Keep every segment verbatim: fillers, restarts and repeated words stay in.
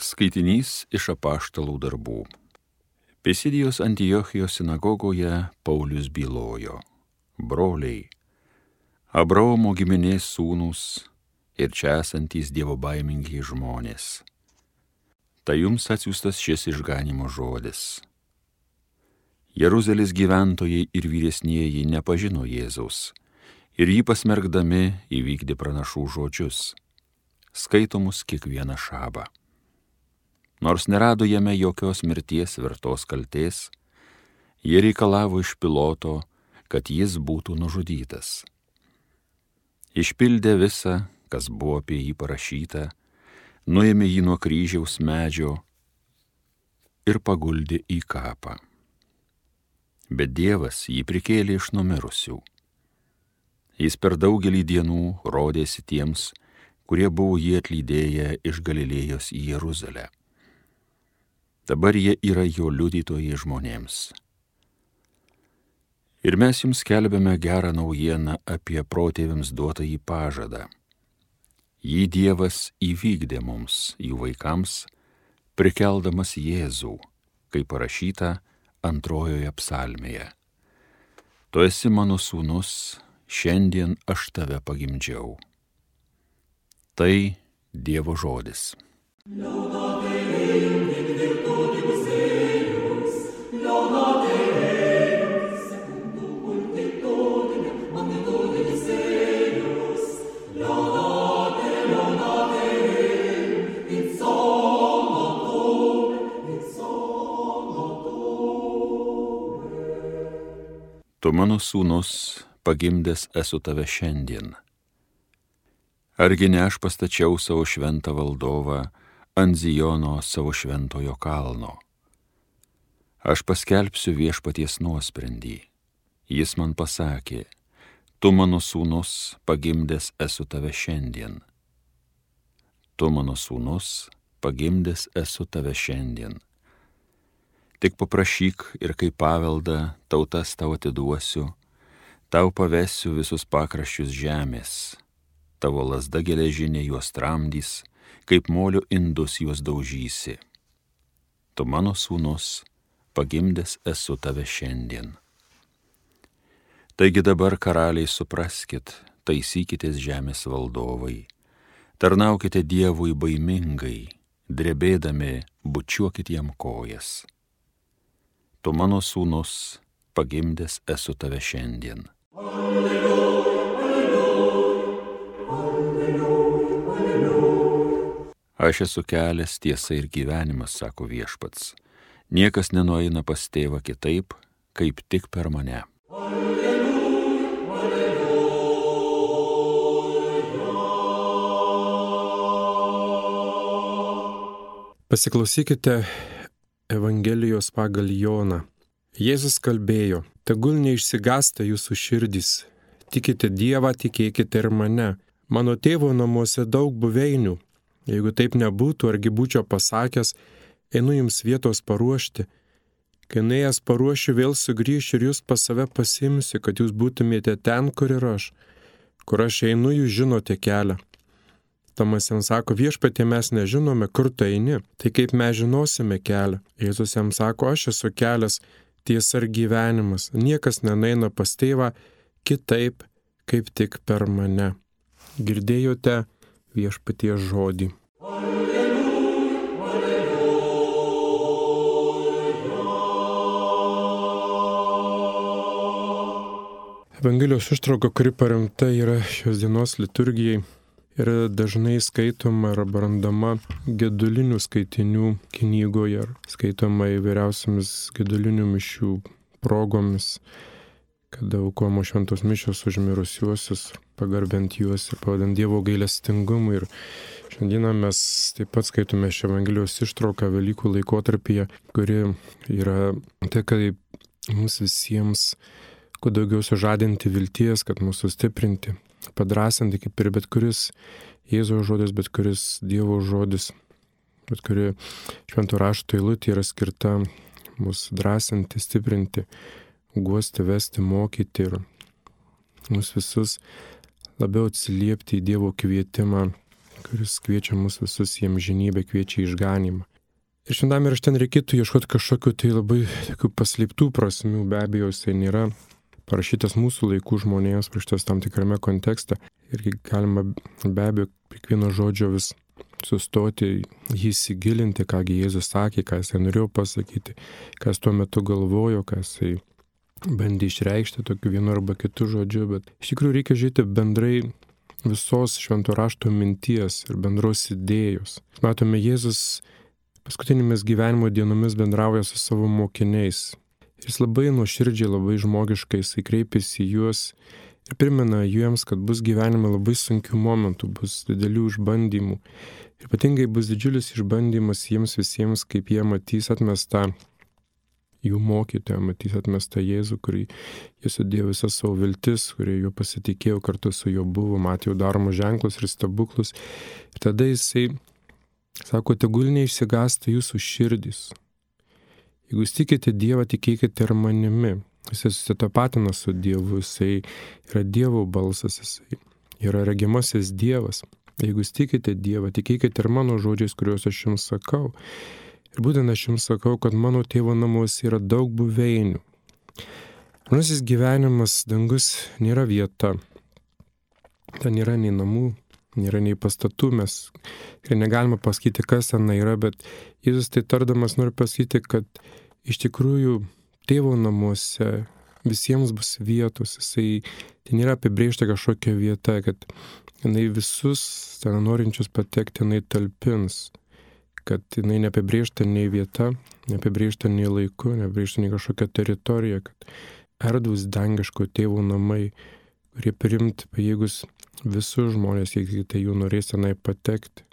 Skaitinys iš apaštalų darbų. Pisidijos Antiochijos sinagogoje Paulius bylojo: broliai, Abraomo giminės sūnūs ir čia esantys dievobaimingi žmonės. Tai jums atsiųstas šis išganimo žodis. Jeruzalės gyventojai ir vyresnieji nepažino Jėzaus ir jį pasmerkdami įvykdė pranašų žodžius, skaitomus kiekvieną šabą. Nors nerado jame jokios mirties vertos kaltės, jie reikalavo iš Piloto, kad jis būtų nužudytas. Išpildė visą, kas buvo apie jį parašyta, nuėmė jį nuo kryžiaus medžio ir paguldė į kapą. Bet Dievas jį prikėlė iš numirusių. Jis per daugelį dienų rodėsi tiems, kurie buvo jį atlydėję iš Galilėjos į Jeruzalę. Dabar jie yra jo liudytojai žmonėms. Ir mes jums skelbiame gerą naujieną apie protėviams duotą į pažadą. Jį Dievas įvykdė mums, jų vaikams, prikeldamas Jėzų, kaip parašyta antrojoje psalmėje. Tu esi mano sūnus, šiandien aš tave pagimdžiau. Tai Dievo žodis. Tu mano sūnus, pagimdęs esu tave šiandien. Argi ne aš pastačiau savo šventą valdovą ant Zijono savo šventojo kalno. Aš paskelbsiu viešpaties nuosprendį. Jis man pasakė: tu mano sūnus, pagimdęs esu tave šiandien. Tu mano sūnus, pagimdęs esu tave šiandien. Tik paprašyk ir kaip paveldą tautas tau atiduosiu, tau pavesiu visus pakraščius žemės, tavo lazda geležinė juos tramdys, kaip molio indus juos daužysi. Tu mano sūnus, pagimdęs esu tave šiandien. Taigi dabar, karaliai, supraskit, taisykitės žemės valdovai, tarnaukite Dievui baimingai, drebėdami bučiuokit jam kojas. Tu mano sūnus, pagimdęs esu tave šiandien. Alleluja, alleluja, alleluja, alleluja. Aš esu kelias, tiesa ir gyvenimas, sako viešpats. Niekas nenueina pas tėvą kitaip, kaip tik per mane. Alleluja, alleluja. Pasiklausykite Evangelijos pagal Joną. Jėzus kalbėjo: tegul neišsigąsta jūsų širdys, tikite Dievą, tikėkite ir mane. Mano tėvo namuose daug buveinių. Jeigu taip nebūtų, argi būčiau pasakęs, einu jums vietos paruošti. Kai nuėjęs paruošiu, vėl sugrįšiu ir jūs pas save pasimsiu, kad jūs būtumėte ten, kur ir aš. Kur aš einu, jūs žinote kelią. Tomas jam sako: viešpatie, mes nežinome, kur tu eini, tai kaip mes žinosime kelią. Jėzus jam sako: aš esu kelias, tiesa ir gyvenimas. Niekas nenueina pas tėvą kitaip, kaip tik per mane. Girdėjote viešpaties žodį. Alleluja, alleluja. Evangelijos ištrauka, kuri paremta yra šios dienos liturgijai, yra dažnai skaitoma arba randama gedulinių skaitinių knygoje, ar skaitoma įvairiausiamis gedulinių mišių progomis, kada aukojamos šventos mišios už mirusiuosius, pagarbiant juos ir pavadant Dievo gailestingumui. Ir šiandieną mes taip pat skaitome šią Evangelijos ištrauką Velykų laikotarpyje, kuri yra tai, kaip mums visiems kuo daugiau sužadinti vilties, kad mūsų stiprinti, padrasinti, kaip ir bet kuris Jėzaus žodis, bet kuris Dievo žodis, bet kuri švento rašto eilutė yra skirta mus drąsinti, stiprinti, guosti, vesti, mokyti ir mus visus labiau atsiliepti į Dievo kvietimą kuris kviečia mus visus į amžinybę, kviečia į išganymą. Ir šventame rašte reikėtų ieškoti kažkokių tai labai tokių paslėptų prasmių, be abejo, jisai nėra parašytas mūsų laikų žmonėms, parašytas tam tikrame kontekste. Ir galima be abejo kiekvieno žodžio vis sustoti, jį įsigilinti, kągi Jėzus sakė, ką jisai norėjo pasakyti, ką jis tuo metu galvojo, ką jisai bandė išreikšti tokiu vienu arba kitu žodžiu. Bet iš tikrųjų reikia žiūrėti bendrai visos švento rašto minties ir bendros idėjos. Matome, Jėzus paskutinėmis gyvenimo dienomis bendrauja su savo mokiniais. Jis labai nuoširdžiai, labai žmogiškai jisai kreipiasi į juos ir primena jiems, kad bus gyvenime labai sunkių momentų, bus didelių išbandymų. Ir ypatingai bus didžiulis išbandymas jiems visiems, kaip jie matys atmestą jų mokytoją, matys atmestą Jėzų, kurį jie sudėjo visas savo viltis, kurie juo pasitikėjo, kartu su juo buvo, matė jau daromus ženklus ir stebuklus. Ir tada jisai sako, tegul neišsigąsta jūsų širdys. Jeigu jūs tikite Dievą, tikėkite ir manimi. Jisai susitapatina su Dievu, jisai yra Dievo balsas, jisai yra regimasis Dievas. Jeigu jūs tikite Dievą, tikėkite ir mano žodžiais, kuriuos aš jums sakau. Ir būtent aš jums sakau, kad mano tėvo namuose yra daug buveinių. Manasis gyvenimas, dangus nėra vieta. Ten nėra nei namų, nėra nei pastatų, mes ir negalime pasakyti, kas ten yra, bet Jėzus tai tardamas nori pasakyti, kad iš tikrųjų tėvo namuose visiems bus vietos, jisai tai nėra apibrėžta kažkokia vieta, kad jinai visus ten norinčius patekti, jinai talpins, kad jinai neapibrėžta nei vieta, neapibrėžta nei laiku, neapibrėžta nei kažkokia teritorija, kad erdvūs dangiško tėvo namai, kurie priimti pajėgus visus žmonės, jeigu tai jų norės tenai patekti.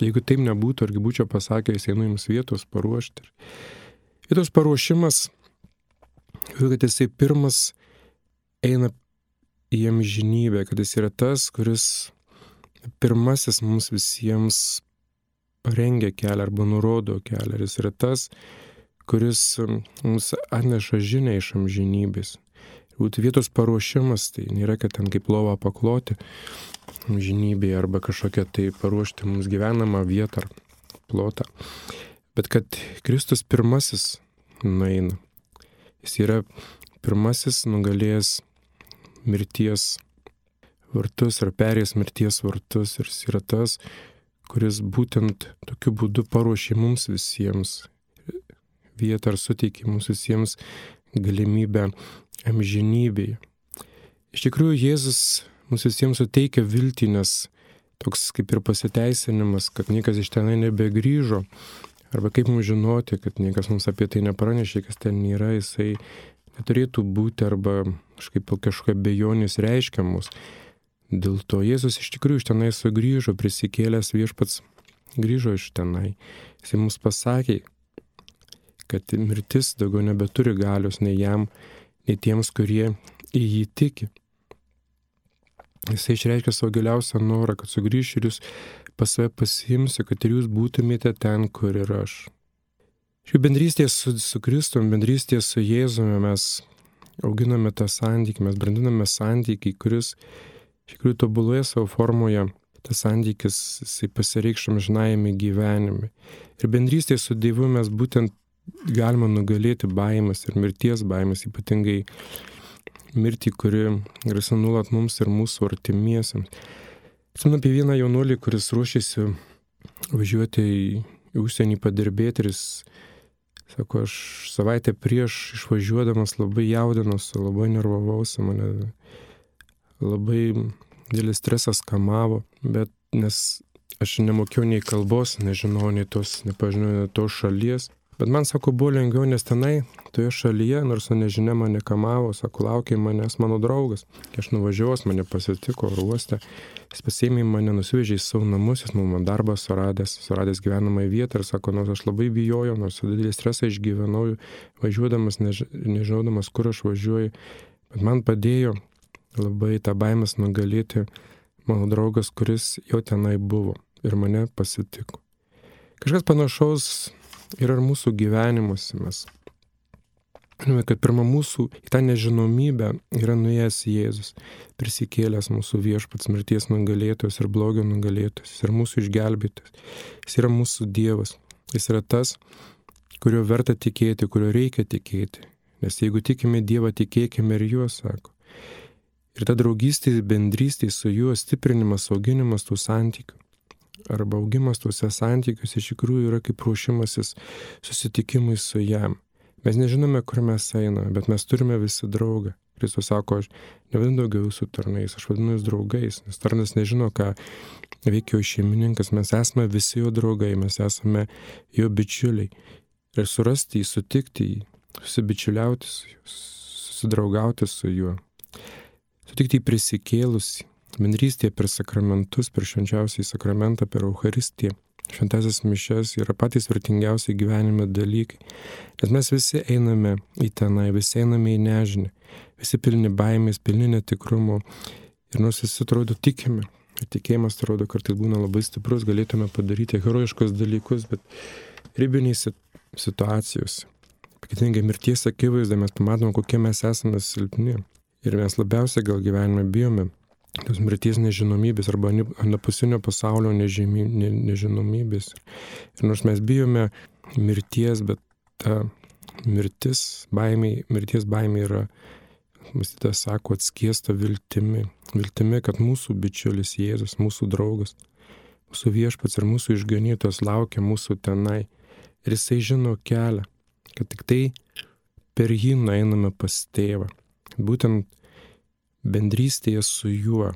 Jeigu taip nebūtų, argi būčiau pasakęs, einu jums vietos paruošti. Vietos paruošimas, kad jisai pirmas eina į amžinybę, kad jis yra tas, kuris pirmasis mums visiems parengia kelią arba nurodo kelią. Jis yra tas, kuris mums atneša žinią iš amžinybės. Būtų vietos paruošimas, tai nėra, kad ten kaip lova pakloti amžinybėje arba kažkokia tai paruošti mums gyvenamą vietą ar plotą. Bet kad Kristus pirmasis nueina. Jis yra pirmasis nugalėjęs mirties vartus ar perėjęs mirties vartus. Ir jis yra tas, kuris būtent tokiu būdu paruošė mums visiems vietą ar suteikė mums visiems galimybę amžinybėje. Iš tikrųjų, Jėzus mums visiems suteikia viltį, nes toks kaip ir pasiteisinimas, kad niekas iš tenai nebegrįžo, arba kaip mums žinoti, kad niekas mums apie tai nepranešė, kas ten yra, jisai neturėtų būti arba kažkaip kažkokia abejonės reiškiamus. Dėl to Jėzus iš tikrųjų iš tenai sugrįžo, prisikėlęs viešpats grįžo iš tenai. Jisai mums pasakė, kad mirtis daugiau nebeturi galios nei jam, nei tiems, kurie į jį tiki. Jisai išreiškia savo giliausią norą, kad sugrįšiu ir jūs pas save pasiimsiu, kad ir jūs būtumėte ten, kur ir aš. Šių bendrystės su, su Kristum, bendrystės su Jėzumi mes auginame tą santykį, mes brandiname santykį, kuris iš tikrųjų tobuloje savo formoje, tas santykis jisai pasireikš amžinajame gyvenime. Ir bendrystėje su Dievu mes būtent galima nugalėti baimės ir mirties baimės, ypatingai mirtį, kuri grasina nuolat mums ir mūsų artimiesiems. Atsimenu apie vieną jaunuolį, kuris ruošėsi važiuoti į, į užsienį padirbėti ir jis sako, aš savaitę prieš išvažiuodamas labai jaudinosi, labai nervavausi, mane labai didelis stresas kamavo, bet nes aš nemokėjau nei kalbos, nežinau nei tos, nepažinau nei tos šalies. Bet man, sako, buvo lengviau, nes tenai, toje šalyje, nors nežinia mane kamavo, sako, laukia manęs mano draugas. Kai aš nuvažiavau, mane pasitiko ruoste, jis pasiėmė mane, nusivežė į savo namus, jis man darbą suradęs, suradęs gyvenamąją vietą ir sako, nors aš labai bijojau, nors didelį stresą išgyvenau, važiuodamas, než, nežinodamas, kur aš važiuoju, bet man padėjo labai tą baimės nugalėti mano draugas, kuris jau tenai buvo ir mane pasitiko. Kažkas panašaus yra ir mūsų gyvenimuose. Mes Žinome, kad pirma mūsų į tą nežinomybę yra nuėjęs Jėzus, prisikėlęs mūsų viešpats, mirties nugalėtojas ir blogio nugalėtojas, jis yra mūsų išgelbėtojas, jis yra mūsų Dievas, jis yra tas, kurio verta tikėti, kurio reikia tikėti, nes jeigu tikime Dievą, tikėkime ir juo, sako. Ir ta draugystė, bendrystė su juo, stiprinimas, auginimas tų santykių arba augimas tuose santykiuose iš tikrųjų yra kaip ruošimasis susitikimui su jam. Mes nežinome, kur mes einame, bet mes turime visi draugą. Kristus sako, aš nevadinu daugiau jūsų tarnais, aš vadinu jūs draugais, nes tarnas nežino, ką veikia jo šeimininkas, mes esame visi jo draugai, mes esame jo bičiuliai. Ir surasti jį, sutikti jį, susibičiuliauti su juo, susidraugauti su juo, sutikti jį prisikėlusį, bendrystėje per sakramentus, per švenčiausiąjį sakramentą, per Eucharistiją. Šventąsias mišias yra patys vertingiausiai gyvenime dalykai. Nes mes visi einame į tenai, visi einame į nežinę, visi pilni baimės, pilni netikrumo. Ir nors visi atrodo tikime, ir tikėjimas atrodo kartais būna labai stiprus, galėtume padaryti herojiškus dalykus, bet ribinėse situacijose, ypatingai mirties akivaizdoje mes pamatome, kokie mes esame silpni. Ir mes labiausiai gal gyvenime bijome tos mirties nežinomybės arba anapusinio pasaulio nežymy, ne, nežinomybės. Ir nors mes bijome mirties, bet ta mirtis, baimė, mirties baimė yra, mąstytas sako, atskiesta viltimi. Viltimi, kad mūsų bičiulis Jėzus, mūsų draugas, mūsų viešpats ir mūsų išganytojas laukia mūsų tenai. Ir jisai žino kelią, kad tik tai per jį nueiname pas tėvą. Būtent bendrystėje su juo,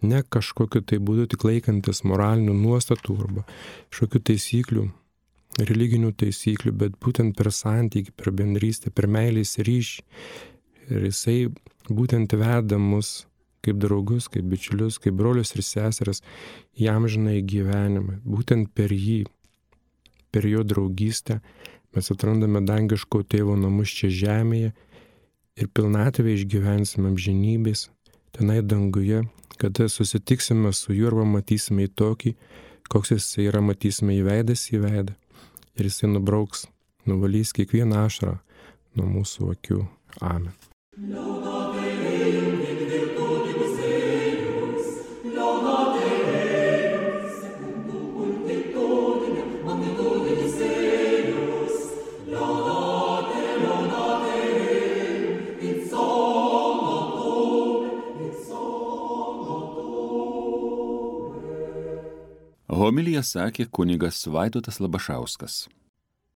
ne kažkokiu tai būdu tik laikantis moralinių nuostatų arba kažkokių taisyklių, religinių taisyklių, bet būtent per santykį, per bendrystę, per meilės ryšį. Ir jisai būtent veda mus kaip draugus, kaip bičiulius, kaip brolius ir seseras į amžinąjį gyvenimą. Būtent per jį, per jo draugystę mes atrandame dangiško tėvo namus čia žemėje ir pilnatvę išgyvensime amžinybės tenai danguje, kada susitiksime su juo arba matysime į tokį, koks jis yra, matysime į veidas į veidą. Ir jisai nubrauks, nuvalys kiekvieną ašarą nuo mūsų akių. Amen. Homiliją sakė kunigas Vaidotas Labašauskas.